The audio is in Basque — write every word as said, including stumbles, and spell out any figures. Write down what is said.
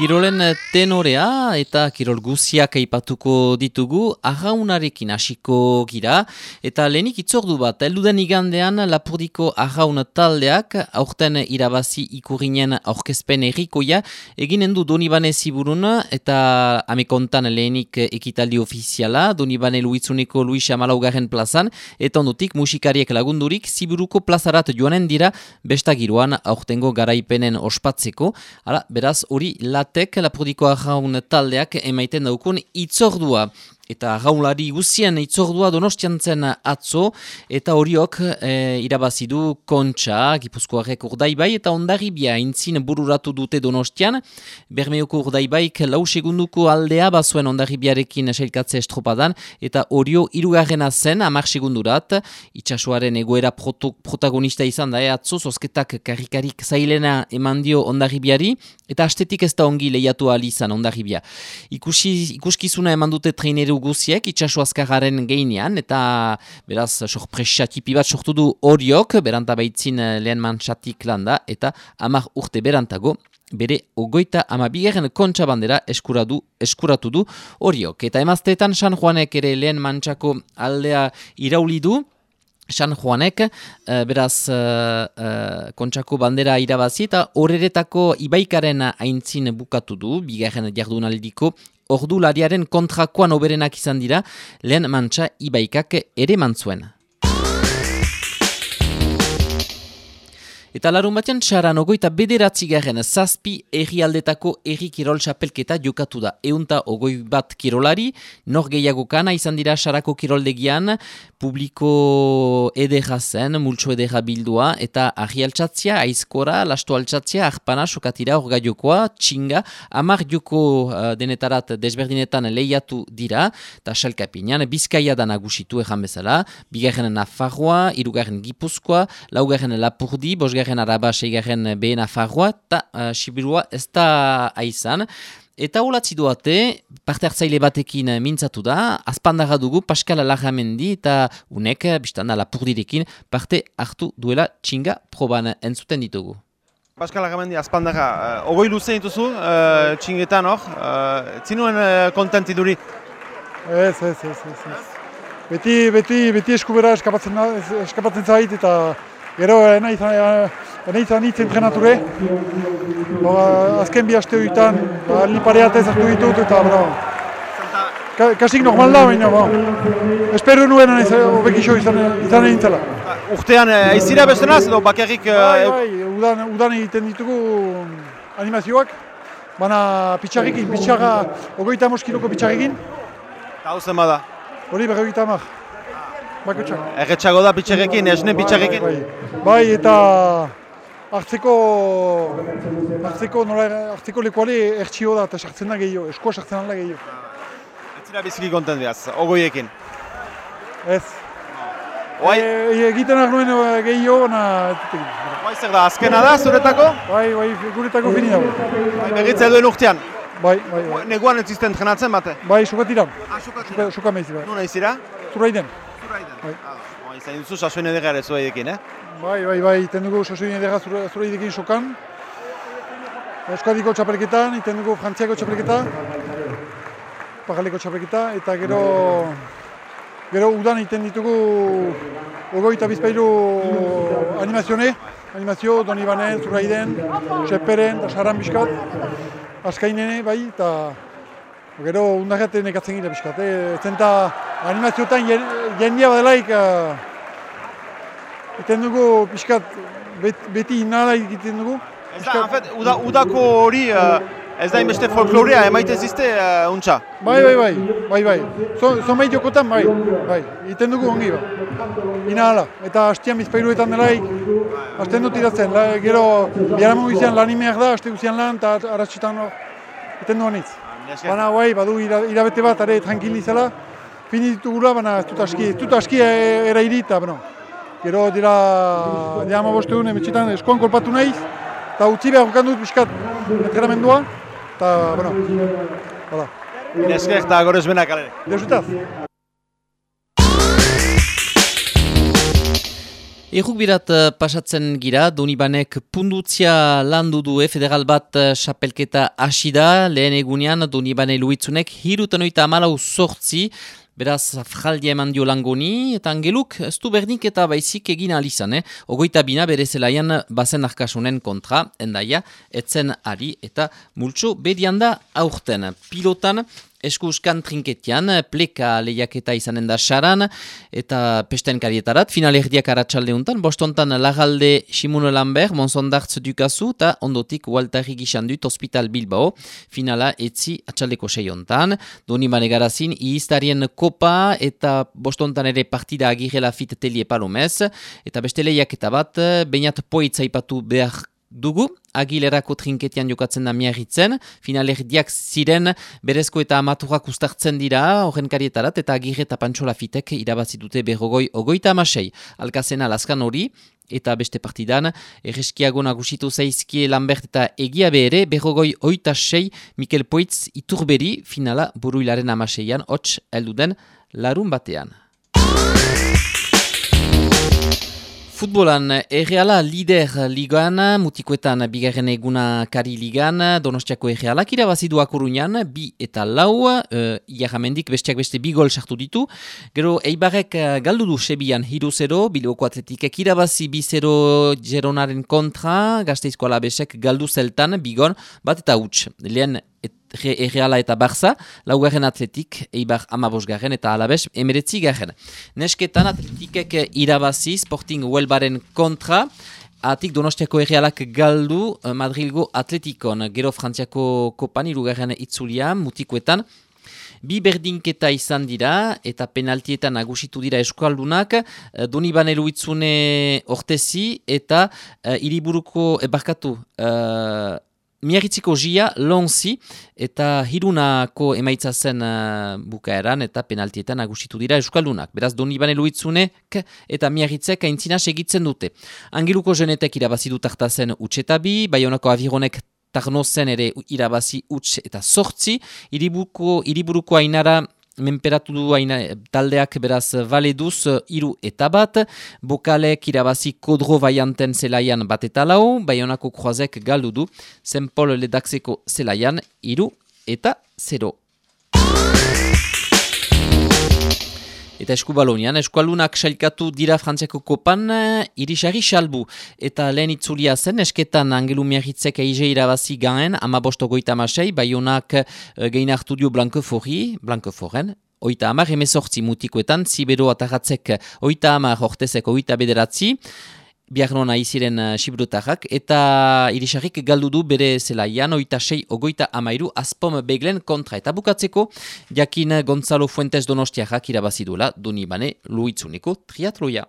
Kirolen tenorea eta kirol guziak aipatuko ditugu, arraunarekin hasiko gira, eta lehenik itzordu bat, elduden igandean Lapurdiko arraun taldeak, aurten irabazi ikurinen aurkezpen errikoia, eginen du Donibane Ziburun, eta amekontan lehenik ekitaldi ofiziala, Donibane Luitzuneko Luis Amalaugarren plazan, eta ondotik musikariek lagundurik, Ziburuko plazarat joanen dira, bestagiroan aurtengo garaipenen ospatzeko, ala, beraz hori lat Lapurdiko arraun taldeak emaiten daukun itzordua. Eta arraunlari guzien itzordua Donostian zen atzo, eta horiok e, irabazidu Kontxa, Gipuzkoarrek Urdaibai, eta Hondarribia intzin bururatu dute Donostian. Bermeoko Urdaibaik lau segunduko aldea bazuen Hondarribiarekin sailkatze estropadan, eta horio hirugarrena zen hamar segundurat. Itsasoaren egoera proto, protagonista izan da, e, atzo, zozketak karrikarik zailena eman dio Hondarribiari, eta astetik ez da ongi lehiatu ahal izan Hondarribia. Ikusi, ikuskizuna eman dute traineru guziek, itxaso azkararen geinean, eta beraz sorpresa tipi bat sortu du horiok, beranta baitzin lehen mantxatik landa, eta hamar urte berantago, bere ogoita amabigarren Kontxa bandera eskuratu, eskuratu du horiok. Eta emazteetan San Juanek ere lehen mantxako aldea irauli du, San Juanek, uh, beraz, uh, uh, Kontxako bandera irabazi eta horretako ibaikaren aintzin bukatu du, bigarren jardunaldiko, ordulariaren kontrakoan oberenak izan dira, lehen mantxa ibaikak ere mantzuen. Eta larun batean txaran ogoita bederatzi garen zazpi errialdetako erri kirol txapelketa jokatu da. Eunta ogoi bat kirolari, nor gehiago kana izan dira xarako kiroldegian, publiko edera zen, multso edera bildua, eta argi altxatzia, aizkora, lasto altxatzia, arpana, sokatira, orga jokoa, txinga, amar joko uh, denetarat desberdinetan lehiatu dira, eta xalkapinan, Bizkaia da nagusitu ejan bezala, bigarren Nafarroa, hirugarren Gipuzkoa, laugarren Lapurdi, bosgarren Araba, seigarren Behe Nafarroa, eta uh, Sibirua ez da aizan. Eta holatzi duate, parte hartzaile batekin mintzatu da, azpandarra dugu Pascal Larramendi eta unek, biztanda Lapurdirekin, parte hartu duela txinga proban entzuten ditugu. Pascal Larramendi azpandarra, uh, ogoi luze dituzu, uh, txingetan hor, uh, zinuen uh, kontenti duri? Ez, ez, ez, ez, ez. Beti, beti, beti eskubera eskapatzen, eskapatzen zait eta gero nahi izan hitz entrenature. Azken bi aste horietan, aldi pareatez hartu ditut eta bravo. Ka, kasik normal da, baina espero nuen hobekixo izan egin zela. Urtean aizira bestenaz edo bakarrik... Bai, bai, udan, udan egiten ditugu animazioak, baina pitxarrekin, pitxarra, ogoita amos kiloko pitxarrekin. Eta hau zen bada? Hori berrogeita hamar. Bakotxak. Erretxago da pitxarrekin, esne pitxarrekin? Bai, bai, bai, eta hartzeko, hartzeko, nola, hartzeko lekuale ertxio da eta sartzen da gehiago, eskoa sartzen da gehiago. Ez zira biziki kontent behaz, ogoiekin? Ez. Bai? E, egiten arnuen gehiago, baina... Bai, zer da, azkena da, zuretako? Bai, bai, guretako fini dago. Bai, berritza eduen urtean? Bai, bai, bai. Neguan ez zizten trenatzen bate? Bai, sokatiran. Ah, sokatiran? Soka meiz, bai. Nuna izira? Zuraiden. Zuraiden? Bai. Ah, izan duzu sasoen edera ere zuaidekin, eh? Bai, bai, bai, iten dugu sasoen edera zuraidekin sokan. Euskadiko txapelketan, iten dugu Frantziako txapelketa. Pajaleko txapelketa, eta gero... Gero udan iten ditugu ogoita bizpailu animazione. Animazio, Donibanen, Zuraiden, Seperen, Saran biskat. Azkainene, bai, eta gero undarreate nekatzen gira biskat. Eh? Zenta animazioetan jendia badelaik iten dugu biskat beti inala egiten dugu. Ez da, en fet, uda, udako hori ez da inbeste folklorea emaiten zizte uh, untxa? Bai, bai, bai, bai, bai. Zonbait jokotan, bai, bai, iten dugu ongi, bai. Inala, eta hastian bizpailuetan delaik, hasten dut iratzen, la, gero biharamu izan lan imeak da, haste guzian lan, eta arratxitan hor, iten duan hitz. Baina, bai, badu irabete bat, are tranquilizela, fini ditugula, baina ez dut aski, ez dut aski erairi, eta, bueno, gero dira, dira ama boste duen, emetxetan eskoan kolpatu nahiz, eta utzi behar dut pixkat entrenamendua, eta, bueno, hala. Esker eta gorez benak alere. Deusutaz. Errukbirat pasatzen gira, Donibanek pundutzia landu du federal bat xapelketa hasi da, lehen egunean Donibane Luitzunek hirutan oita amalau sortzi, beraz fraldia eman dio langoni, eta angeluk ez du berdik eta baizik egin alizan, eh? Ogoita bina bere zelaian bazen arkasunen kontra, endaia, etzen ari eta multso bedian da aurten. Pilotan, eskuskan trinketian, pleka lehiaketa izanen da saran, eta pesten karietarat, final erdiak aratsalde untan, bostontan lagalde Simon Lambert, Monsondartz dukazu, eta ondotik Waltari Gixandut, Hospital Bilbao, finala etzi atxaldeko seiontan, Donibane garazin, iiztarien kopa, eta bostontan ere partida agirela fit telie palomez, eta beste lehiaketa bat, bainat poitza ipatu behar dugu, Agilerako trinketian jokatzen da miarritzen, finalerdiak ziren berezko eta amaturak ustartzen dira, horren karietarat, eta Agirre eta Pantxola fitek irabazi dute berrogoi ogoita amasei. Alkazena laskan hori, eta beste partidan, erreskiago nagusitu zaizkie Lambert eta Egia ere, berrogoi oita sei, Mikel Poitz iturberi, finala buruilaren amaseian, hots elduden larun batean. Futbolan, Erreala lider ligan, mutikoetan bigarren eguna kari ligan, Donostiako Errealak irabazidu Akurunian, bi eta lau, uh, Iarramendik besteak beste bi gol sartu ditu. Gero Eibarrek galdu du Sebian hiru zero, Bilboko Atletikek irabazi bi zero Geronaren kontra, Gasteizko Alabesek galdu zeltan, bigon, bat eta huts. Lehen Erreala eta Barça, laugarren Atletik, Eibar amabosgarren eta Alabes emeretzi garren. Nesketan Atletikek irabazi Sporting Huelbaren kontra, atik Donostiako Errealak galdu Madrilgo Atletikon, gero Frantziako Kopan irugarren itzulia, mutikoetan, bi berdinketa izan dira eta penaltietan nagusitu dira eskualdunak, Donibane Luitzune ortezi eta uh, iriburuko ebarkatu uh, Miarritziko Gia, Lonzi, eta hirunako emaitza zen uh, bukaeran eta penaltietan nagusitu dira eskaldunak. Beraz, Donibane Luitzunek eta Miarritzek aintzina segitzen dute. Angeluko Jenetek irabazi du tartazen utxetabi, Baionako Avironek tarnozen ere irabazi utx eta sortzi, iriburuko, iriburuko ainara menperatu du aina, taldeak beraz valeduz iru eta bat, Bokalek irabazi Kodro Baianten zelaian bat eta lau, Baionako Kroazek galdu du, Saint Paul Ledaxeko zelaian iru eta zero. Eta eskubalonian, eskualunak sailkatu dira Frantziako Kopan, irisari salbu. Eta lehen itzulia zen, esketan Angelu Miarritzek eize irabazi gaen, ama bosto goita amasei, Baionak gehin hartu dio Blanquefori, Blanqueforen, oita amar emezortzi mutikoetan, Zibero atagatzek oita amar ortezek oita bederatzi, biarnona iziren Xibrutarrak, eta irisarrik galdu du bere zelaian, oita sei ogoita amairu, Azpom Beglen kontra. Eta bukatzeko, jakin Gonzalo Fuentes Donostiarrak irabazi duela, Donibane Luitzuneko triatloia.